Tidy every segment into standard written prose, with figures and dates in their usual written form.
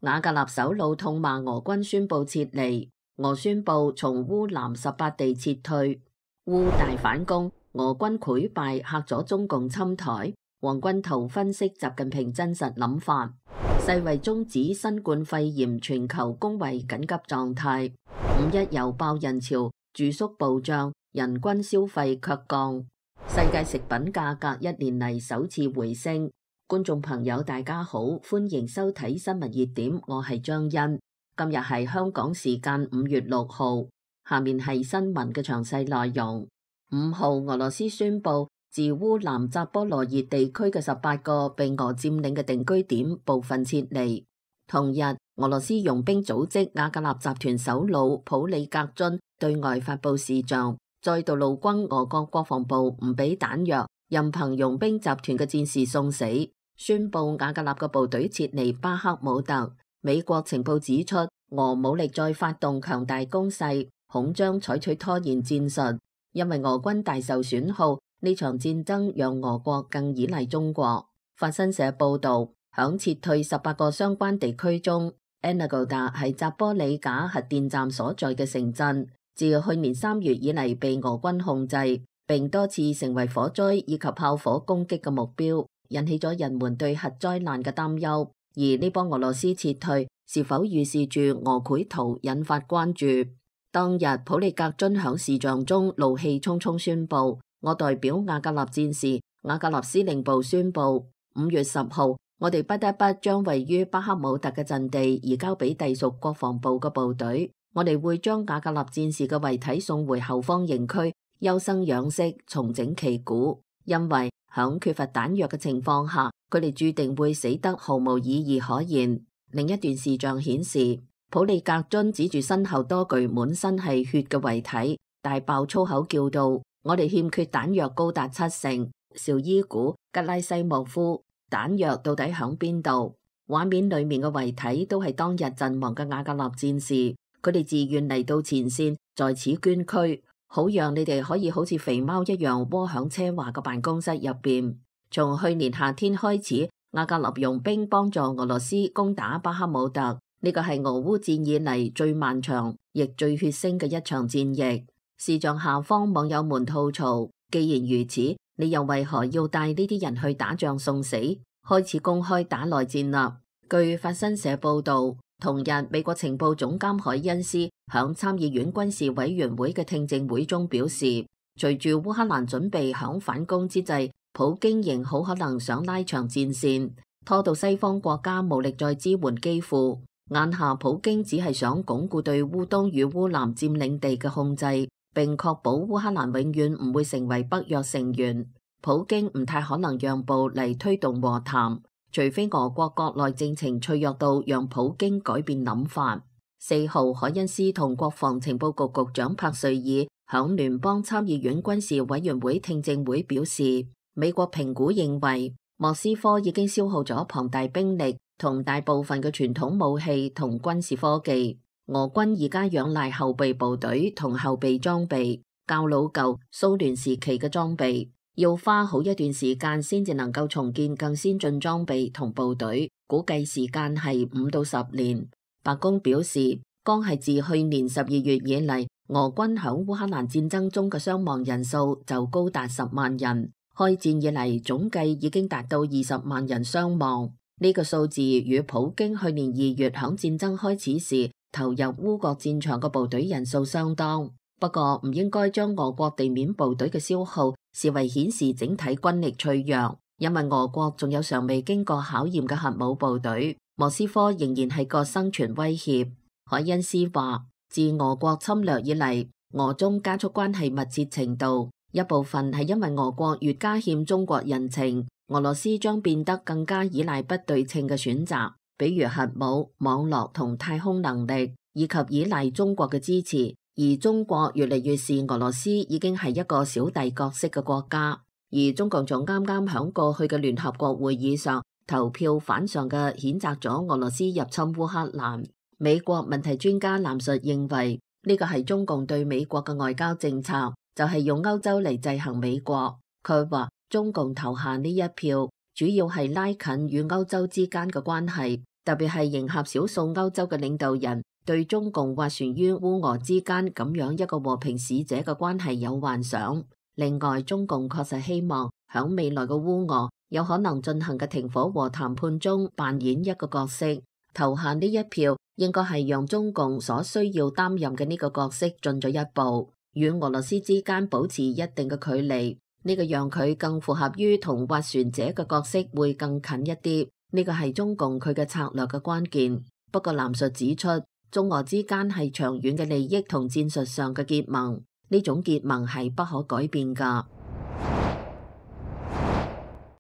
瓦格納首腦痛罵俄軍宣布撤離，俄宣布從烏南18地撤退。烏大反攻，俄軍潰敗嚇咗中共侵台。黃君濤分析習近平真實諗法。世衛終止新冠肺炎全球公衛緊急狀態。5·1又爆人潮，住宿暴漲，人均消費卻降。世界食品價格1年嚟首次回升。觀眾朋友大家好，歡迎收睇新聞熱點，我係張欣。今日係香港時間5月6號，下面係新聞嘅詳細內容。5號，俄羅斯宣布自烏南扎波羅熱地區嘅18個被俄佔領嘅定居點部分撤離。同日，俄羅斯傭兵組織瓦格納集團首腦普里格津對外發布視像，再度怒轟俄國國防部唔俾彈藥，任憑傭兵集團嘅戰士送死，宣布瓦格納嘅部隊撤離巴克姆特。美國情報指出，俄武力再發動強大攻勢，恐將採取拖延戰術，因為俄軍大受損耗。呢場戰爭讓俄國更依賴中國。法新社報道，響撤退18個相關地區中，Energoda係扎波里賈核電站所在嘅城鎮，自去年3月以嚟被俄軍控制，並多次成為火災以及炮火攻擊嘅目標，引起咗人們對核災難嘅擔憂。而呢波俄羅斯撤退是否預示住俄繪圖，引發關注。當日普里格津響視像中怒氣沖沖宣布，我代表瓦格納戰士、瓦格納司令部宣布，5月10號，我哋不得不將位於巴克姆特嘅陣地移交俾隸屬國防部嘅部隊。我哋會將瓦格納戰士嘅遺體送回後方營區，優生養息，重整旗鼓。因為響缺乏彈藥嘅情況下，佢哋注定會死得毫無意義可言。另一段視像顯示，普里格津指住身後多具滿身係血嘅遺體，大爆粗口叫道：我哋欠缺彈藥高達70%，紹伊古、吉拉西莫夫，彈藥到底響邊度？畫面裏面嘅遺體都係當日陣亡嘅瓦格納戰士，佢哋自願嚟到前線，在此捐軀，好讓你哋可以好似肥貓一樣窩響奢華嘅辦公室入邊。從去年夏天開始，瓦格納傭兵幫助俄羅斯攻打巴克姆特，呢個係俄烏戰以嚟最漫長亦最血腥嘅一場戰役。視像下方網友們吐槽，既然如此，你又為何要帶呢啲人去打仗送死？開始公開打內戰啦。據法新社報道，同日美國情報總監海恩斯響參議院軍事委員會嘅聽證會中表示，隨住烏克蘭準備響反攻之際，普京仍好可能想拉長戰線，拖到西方國家無力再支援基輔。眼下普京只係想鞏固對烏東與烏南佔領地嘅控制，並確保烏克蘭永遠唔會成為北約成員。普京唔太可能讓步嚟推動和談，除非俄國國內政情脆弱到讓普京改變諗法。4號，海恩斯同國防情報局局長帕瑞爾響聯邦參議院軍事委員會聽證會表示，美國評估認為莫斯科已經消耗咗龐大兵力同大部分嘅傳統武器同軍事科技。俄軍而家仰賴後備部隊同後備裝備，較老舊蘇聯時期嘅裝備，要花好一段時間先至能夠重建更先進裝備同部隊，估計時間係5到10年。白宮表示，剛係自去年12月以嚟，俄軍響烏克蘭戰爭中嘅傷亡人數就高達10萬人，開戰以嚟總計已經達到20萬人傷亡。呢個數字與普京去年2月響戰爭開始時投入烏國戰場嘅部隊人數相當，不過唔應該將俄國地面部隊嘅消耗視為顯示整體軍力脆弱，因為俄國仲有尚未經過考驗嘅核武部隊，莫斯科仍然係個生存威脅。海恩斯話，自俄國侵略以嚟，俄中加速關係密切程度，一部分係因為俄國越加欠中國人情，俄羅斯將變得更加依賴不對稱嘅選擇。比如核武、網絡同太空能力，以及依賴中國嘅支持，而中國越嚟越視俄羅斯已經係一個小弟角色嘅國家。而中共仲啱啱響過去嘅聯合國會議上投票反常嘅譴責咗俄羅斯入侵烏克蘭。美國問題專家藍述認為，呢個係中共對美國嘅外交政策，就係用歐洲嚟制衡美國。佢話中共投下呢一票，主要係拉近與歐洲之間嘅關係，特別係迎合少數歐洲嘅領導人對中共斡旋於烏俄之間咁樣一個和平使者嘅關係有幻想。另外，中共確實希望響未來嘅烏俄有可能進行嘅停火和談判中扮演一個角色。投下呢一票應該係讓中共所需要擔任嘅呢個角色進咗一步，與俄羅斯之間保持一定嘅距離。呢個讓佢更符合於同斡旋者嘅角色會更近一啲。呢個係中共佢嘅策略嘅關鍵。不過藍述指出，中俄之間係長遠嘅利益同戰術上嘅結盟。呢種結盟係不可改變㗎。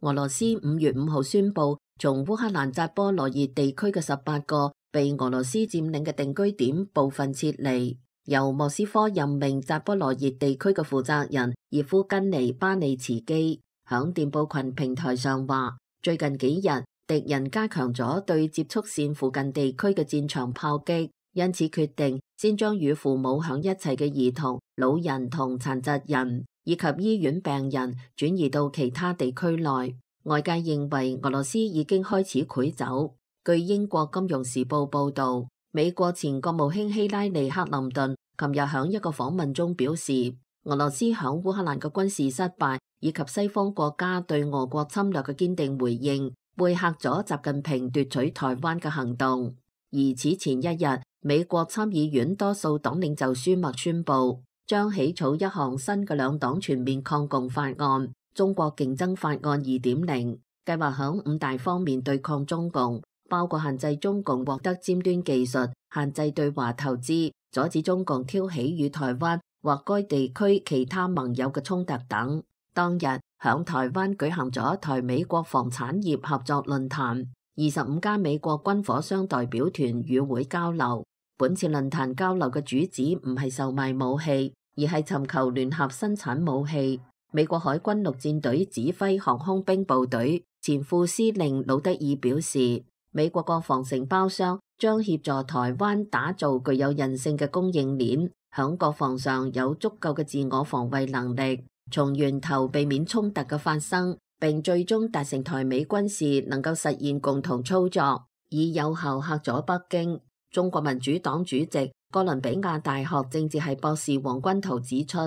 俄羅斯5月5號宣布，從烏克蘭扎波羅熱地區嘅18個被俄羅斯佔領嘅定居點部分撤離，由莫斯科任命扎波羅熱地區嘅負責人葉夫根尼巴利茨基響電報群平台上話，最近幾日敵人加強咗對接觸線附近地區嘅戰場炮擊，因此決定先將與父母響一齊嘅兒童、老人同殘疾人以及醫院病人轉移到其他地區內。外界認為俄羅斯已經開始潰走。據英國金融時報報道，美國前國務卿希拉里克林頓琴日響一個訪問中表示，俄羅斯響烏克蘭嘅軍事失敗以及西方國家對俄國侵略嘅堅定回應，背嚇咗習近平奪取台灣嘅行動。而此前一日，美國參議院多數黨領袖舒默宣布，將起草一項新嘅兩黨全面抗共法案——中國競爭法案2.0，計劃響5大方面對抗中共，包括限制中共獲得尖端技術、限制對華投資、阻止中共挑起與台灣或該地區其他盟友嘅衝突等。當日響台灣舉行咗台美國防產業合作論壇，25家美國軍火商代表團與會交流。本次論壇交流嘅主旨唔係售賣武器，而係尋求聯合生產武器。美國海軍陸戰隊指揮航空兵部隊前副司令魯德爾表示，美國國防承包商將協助台灣打造具有韌性嘅供應鏈，響國防上有足夠嘅自我防衛能力，從源頭避免衝突嘅發生，並最終達成台美軍事能夠實現共同操作，以有效嚇阻北京。中國民主黨主席、哥倫比亞大學政治系博士黃君濤指出，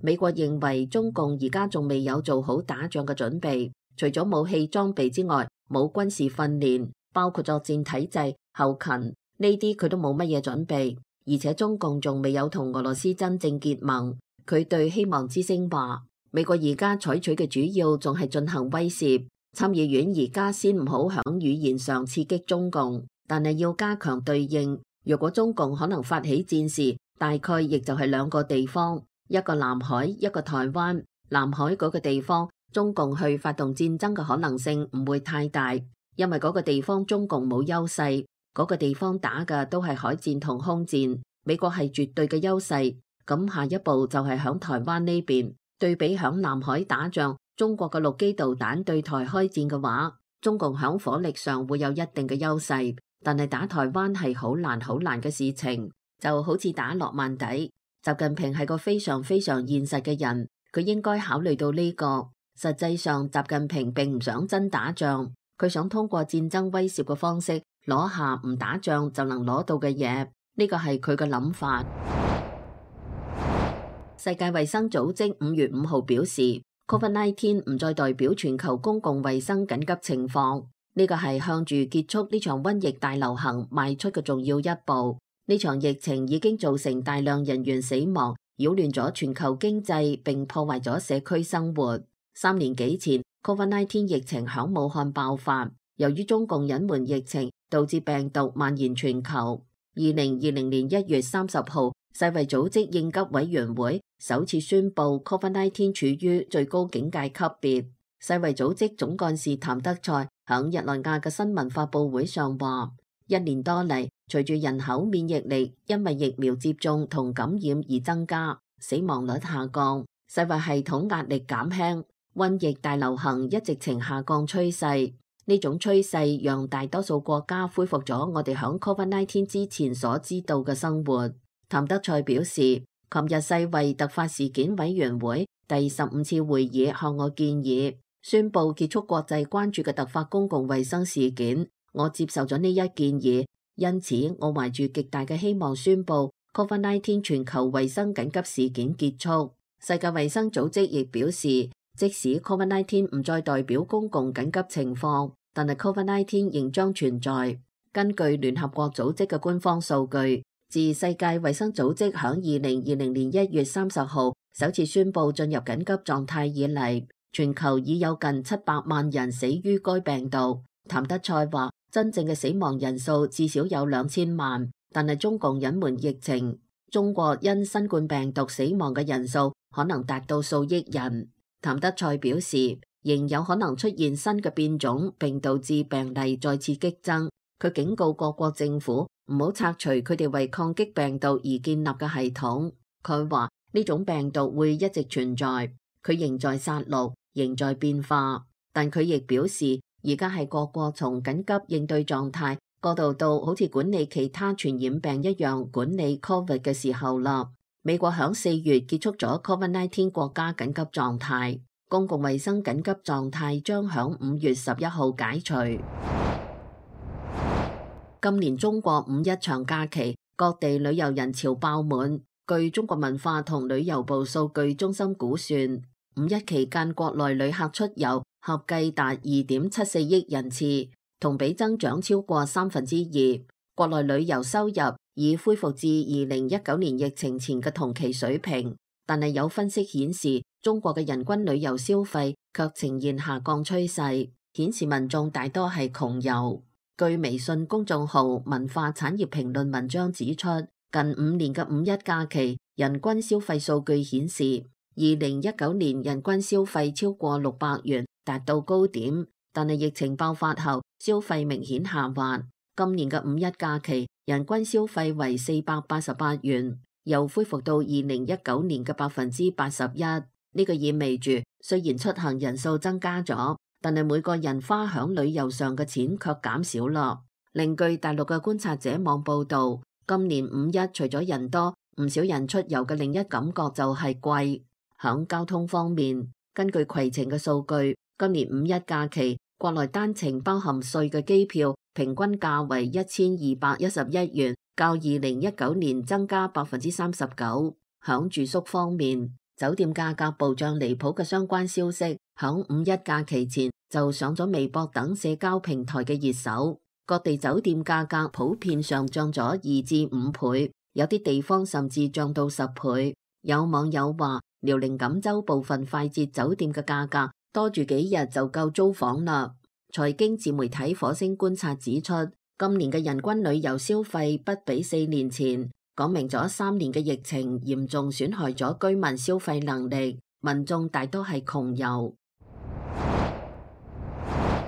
美國認為中共而家仲未有做好打仗嘅準備，除咗武器裝備之外，冇軍事訓練，包括作戰體制、後勤呢啲佢都冇乜嘢準備，而且中共仲未有同俄羅斯真正結盟。佢對希望之聲話，美國而家採取嘅主要仲係進行威懾，參議院而家先唔好響語言上刺激中共，但係要加強對應。如果中共可能發起戰事，大概亦就係兩個地方，一個南海，一個台灣。南海嗰個地方，中共去發動戰爭嘅可能性唔會太大，因為嗰個地方中共冇優勢，嗰個地方打嘅都係海戰同空戰，美國係絕對嘅優勢。咁下一步就係響台灣呢邊，對比響南海打仗，中國嘅陸基導彈對台開戰嘅話，中共響火力上會有一定嘅優勢，但係打台灣係好難嘅事情，就好似打諾曼底。習近平係個非常現實嘅人，佢應該考慮到呢個。實際上，習近平並唔想真打仗，佢想通過戰爭威懾嘅方式攞下唔打仗就能攞到嘅嘢，呢個係佢嘅諗法。世界衛生組織5月5號表示，COVID-19 唔再代表全球公共衛生緊急情況，呢個係向住結束呢場瘟疫大流行邁出嘅重要一步。呢場疫情已經造成大量人員死亡，擾亂咗全球經濟，並破壞咗社區生活。3年幾前 ，COVID-19 疫情響武漢爆發，由於中共隱瞞疫情，導致病毒蔓延全球。2020年1月30號，世衛組織應急委員會首次宣布 COVID-19 處於最高警戒級別。世衛組織總幹事譚德塞響日內瓦嘅新聞發佈會上話，1年多嚟，隨住人口免疫力因為疫苗接種同感染而增加，死亡率下降，世衛系統壓力減輕，瘟疫大流行一直呈下降趨勢。呢種趨勢讓大多數國家恢復咗我哋響 COVID-19 之前所知道嘅生活。譚德塞表示，琴日世衛突發事件委員會第15次會議向我建議，宣布結束國際關注嘅突發公共衛生事件我接受咗呢一建議，因此我懷住極大嘅希望宣布 COVID-19 全球衛生緊急事件結束。世界衛生組織亦表示，即使 COVID-19 唔再代表公共緊急情況，但係 COVID-19 仍將存在。根據聯合國組織嘅官方數據，自世界衛生組織響2020年1月30號首次宣布進入緊急狀態以嚟，全球已有近700萬人死於該病毒。譚德塞話，真正嘅死亡人數至少有2000萬，但係中共隱瞞疫情，中國因新冠病毒死亡嘅人數可能達到數億人。譚德塞表示，仍有可能出現新嘅變種，並導致病例再次激增。佢警告各國政府唔好拆除佢哋為抗擊病毒而建立嘅系統。佢話呢種病毒會一直存在，佢仍在殺戮，仍在變化。但佢亦表示，而家係各國從緊急應對狀態過渡到好似管理其他傳染病一樣管理 COVID 嘅時候啦。美國響4月結束咗 COVID-19 國家緊急狀態，公共衛生緊急狀態將響5月11號解除。今年中國五一長假期，各地旅遊人潮爆滿。據中國文化同旅遊部數據中心估算，五一期間國內旅客出遊合計達2.74億人次，同比增長超過2%。國內旅遊收入已恢復至2019年疫情前嘅同期水平，但係有分析顯示，中國嘅人均旅遊消費卻呈現下降趨勢，顯示民眾大多係窮遊。據微信公眾號文化產業評論文章指出，近5年嘅五一假期人均消費數據顯示，2019年人均消費超過600元，達到高點，但係疫情爆發後消費明顯下滑。今年嘅五一假期人均消費為488元，又恢復到2019年嘅81%。呢個意味住，雖然出行人數增加咗，但係每個人花響旅遊上嘅錢卻減少啦。另據大陸嘅觀察者網報導，今年五一除咗人多，唔少人出遊嘅另一感覺就係貴。響交通方面，根據攜程嘅數據，今年五一假期國內單程包含稅嘅機票平均價為1211元，較2019年增加39%。響住宿方面，酒店價格暴漲離譜嘅相關消息，響五一假期前就上咗微博等社交平台嘅熱搜。各地酒店價格普遍上漲咗2至5倍，有啲地方甚至漲到10倍。有網友話，遼寧錦州部分快捷酒店嘅價格多住幾日就夠租房啦。財經自媒體火星觀察指出，今年嘅人均旅遊消費不比4年前，講明咗3年嘅疫情嚴重損害咗居民消費能力，民眾大多係窮遊。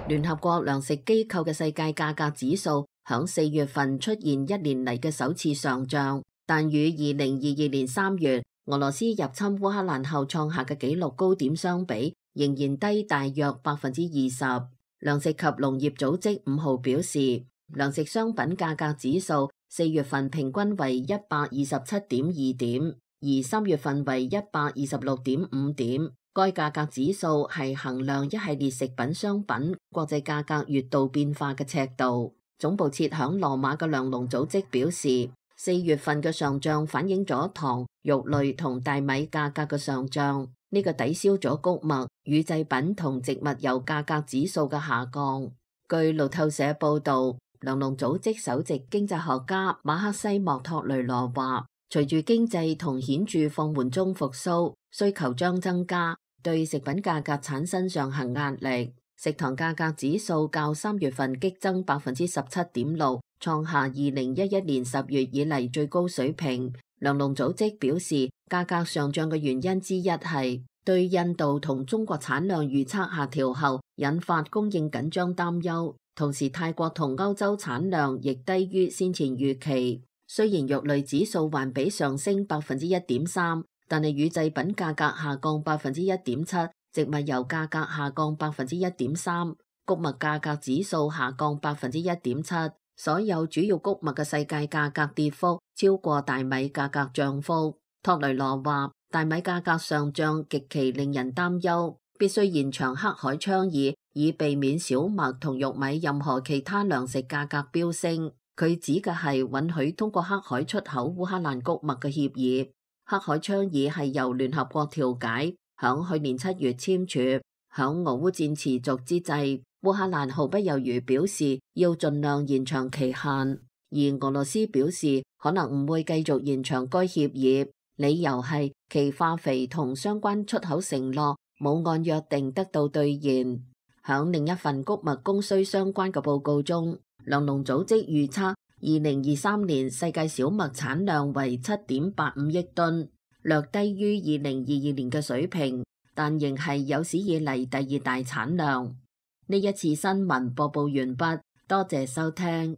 聯合國糧食機構嘅世界價格指數響4月份出現1年嚟嘅首次上漲，但與2022年3月俄羅斯入侵烏克蘭後創下嘅紀錄高點相比，仍然低大約20%。糧食及農業組織5號表示，糧食商品價格指數4月份平均為127.2點，而3月份為126.5點。該價格指數係衡量一系列食品商品國際價格月度變化嘅尺度。總部設響羅馬嘅糧農組織表示，4月份嘅上漲反映咗糖、肉類同大米價格嘅上漲，呢個抵消咗穀物、乳製品同植物油價格指數嘅下降。據路透社報導，糧農組織首席經濟學家馬克西莫托雷羅話，隨住經濟同顯著放緩中復甦，需求將增加，對食品價格產生上行壓力。食糖價格指數較3月份激增17.6%，創下2011年10月以嚟最高水平。糧農組織表示，價格上漲嘅原因之一係對印度同中國產量預測下調後引發供應緊張擔憂，同時泰國同歐洲產量亦低於先前預期。雖然肉類指數環比上升1.3%，但係乳製品價格下降1.7%，植物油價格下降1.3%，穀物價格指數下降1.7%。所有主要穀物嘅世界價格跌幅超過大米價格漲幅。托雷羅話，大米價格上漲極其令人擔憂，必須延長黑海倡議以避免小麥同玉米任何其他糧食價格飆升。佢指嘅係允許通過黑海出口烏克蘭穀物嘅協議。黑海倡議係由聯合國調解，響去年7月簽署。響俄烏戰持續之際，烏克蘭毫不猶豫表示要盡量延長期限，而俄羅斯表示可能唔會繼續延長該協議，理由係其化肥同相關出口承諾冇按約定得到兌現。響另一份穀物供需相關嘅報告中，糧農組織預測2023年世界小麥產量為7.85億噸，略低於2022年嘅水平，但仍係有史以嚟第2大產量。呢一次新聞播報完畢，多謝收聽。